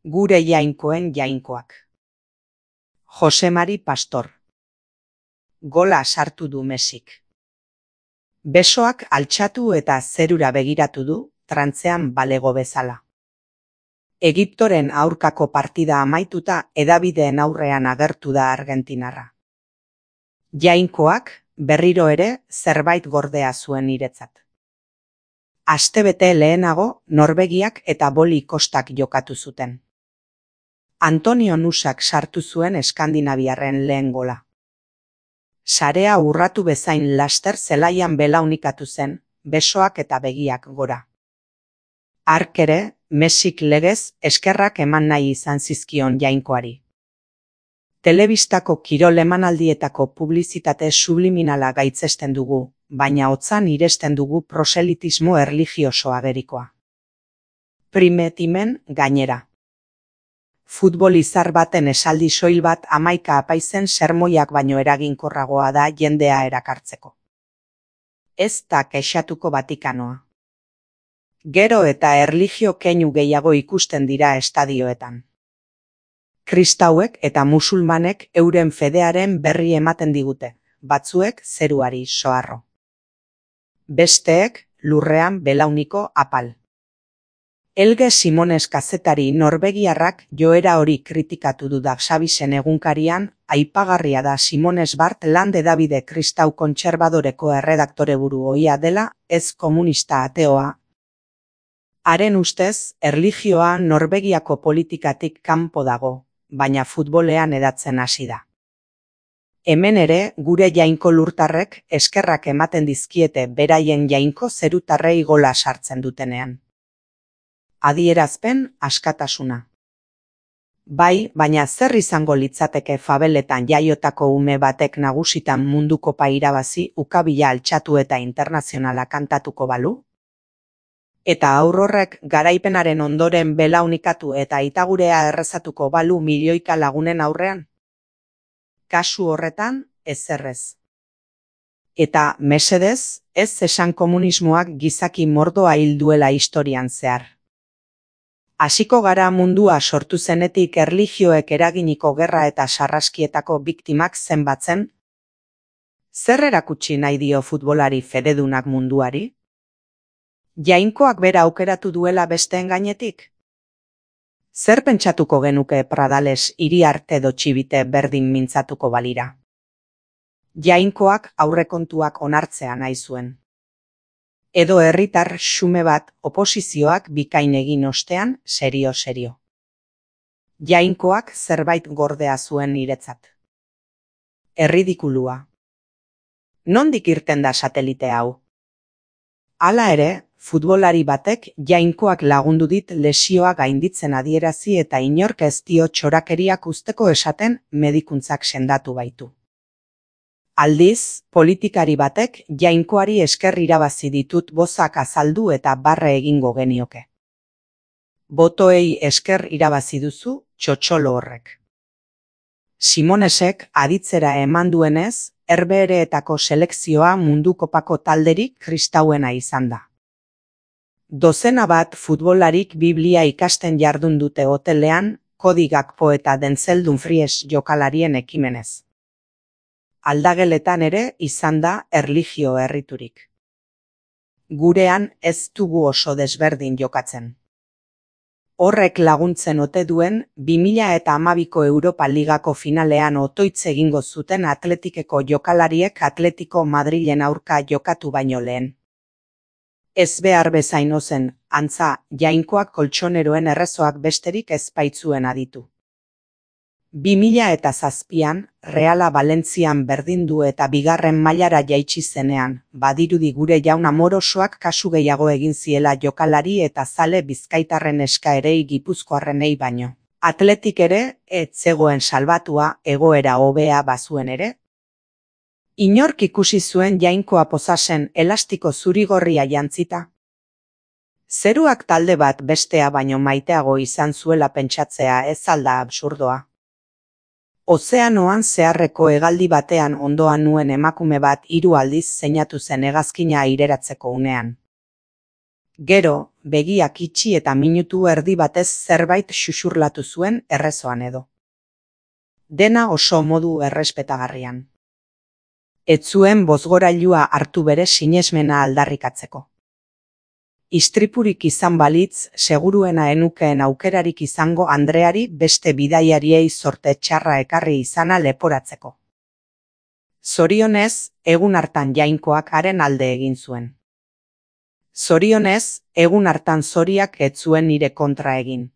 Gure jainkoen jainkoak. Jose Mari Pastor. Gola sartu du Mesik. Besoak altxatu eta zerura begiratu du, trantzean balego bezala. Egiptoren aurkako partida amaituta hedabideen aurrean agertu da argentinarra. Jainkoak berriro ere zerbait gordea zuen niretzat. Astebete lehenago Norvegiak eta Boli Kostak jokatu zuten. Antonio Nusak sartu zuen eskandinaviarren lehen gola. Sarea urratu bezain laster zelaian belaunikatu zen, besoak eta begiak gora. Hark ere, Mesik legez eskerrak eman nahi izan zizkion jainkoari. Telebistako kirol emanaldietako publizitate subliminala gaitzesten dugu, baina hotzan iresten dugu proselitismo erlijioso agerikoa. Primetimen gainera. Futbol izar baten esaldi soil bat 11 apaizen sermoiak baino eraginkorragoa da jendea erakartzeko. Ez da kexatuko Vatikanoa. Gero eta erlijio keinu gehiago ikusten dira estadioetan. Kristauek eta musulmanek euren fedearen berri ematen digute, batzuek zeruari soharro. Besteek lurrean belauniko apal. Helge Simones kazetari norvegiarrak joera hori kritikatu du Dagsavisen egunkarian, aipagarria da Simones Bart Lande Davide kristau kontserbadoreko erredaktoreburu ohia dela, ez komunista ateoa. Haren ustez, erlijioa Norvegiako politikatik kanpo dago, baina futbolean hedatzen hasi da. Hemen ere, gure jainko lurtarrek eskerrak ematen dizkiete beraien jainko zerutarrei gola sartzen dutenean. Adierazpen askatasuna. Bai, baina zer izango litzateke fabeletan jaiotako ume batek nagusitan mundukopa irabazi ukabila altxatu eta internazionala kantatuko balu? Eta aurrorrek garaipenaren ondoren belaunikatu eta itagurea errezatuko balu milioika lagunen aurrean? Kasu horretan, ezerrez. Eta, mesedez, ez esan komunismoak gizaki mordoa hil duela historian zehar. Hasiko gara mundua sortu zenetik erlijioek eraginiko gerra eta sarraskietako biktimak zenbatzen? Zer erakutsi nahi dio futbolari fededunak munduari? Jainkoak bera aukeratu duela besteen gainetik? Zer pentsatuko genuke Pradales Iriarte edo Txibite berdin mintzatuko balira? Jainkoak aurrekontuak onartzea nahi zuen. Edo herritar xume bat oposizioak bikain egin ostean serio. Jainkoak zerbait gordea zuen niretzat. Erridikulua. Nondik irten da satelite hau? Hala ere, futbolari batek jainkoak lagundu dit lesioa gainditzen adierazi eta inork ez dio txorakeriak usteko esaten medikuntzak sendatu baitu. Aldiz, politikari batek jainkoari esker irabazi ditut bozak azaldu eta barre egingo genioke. Botoei esker irabazi duzu txotxolo horrek. Simonesek aditzera eman duenez, Herbehereetako selekzioa mundukopako talderik kristauena izan da. Dozena bat futbolarik Biblia ikasten jardun dute hotelean, Cody Gakpo eta Denzel Dumfries jokalarien ekimenez. Aldageletan ere izan da erlijio erriturik. Gurean ez dugu oso desberdin jokatzen. Horrek laguntzen ote duen 2012ko Europa Ligako finalean otoitz egingo zuten Atletikeko jokalariek Atletico Madrilen aurka jokatu baino lehen. Ez behar bezain ozen, antza, jainkoak koltsoneroen errezoak besterik ez baitzuen aditu. 2007an, Reala Valentzian berdindu eta bigarren mailara jaitsi zenean, badirudi gure jaun amorosoak kasu gehiago egin ziela jokalari eta zale bizkaitarren eskaerei gipuzkoarrenei baino. Atletik ere, ez zegoen salbatua egoera hobea bazuen ere? Inork ikusi zuen jainkoa posasen elastiko zurigorria jantzita? Zeruak talde bat bestea baino maiteago izan zuela pentsatzea ez alda absurdoa. Ozeanoan zeharreko hegaldi batean ondoan nuen emakume bat 3 aldiz zeinatu zen hegazkina aireratzeko unean. Gero, begiak itxi eta minutu erdi batez zerbait xuxurlatu zuen errezoan edo. Dena oso modu errespetagarrian. Ez zuen bozgorailua hartu bere sinesmena aldarrikatzeko. Istripurik izan balitz, seguruena enukeen aukerarik izango Andreari beste bidaiariei zorte txarra ekarri izana leporatzeko. Zorionez, egun hartan Jainkoak haren alde egin zuen. Zorionez, egun hartan Zoriak ez zuen nire kontra egin.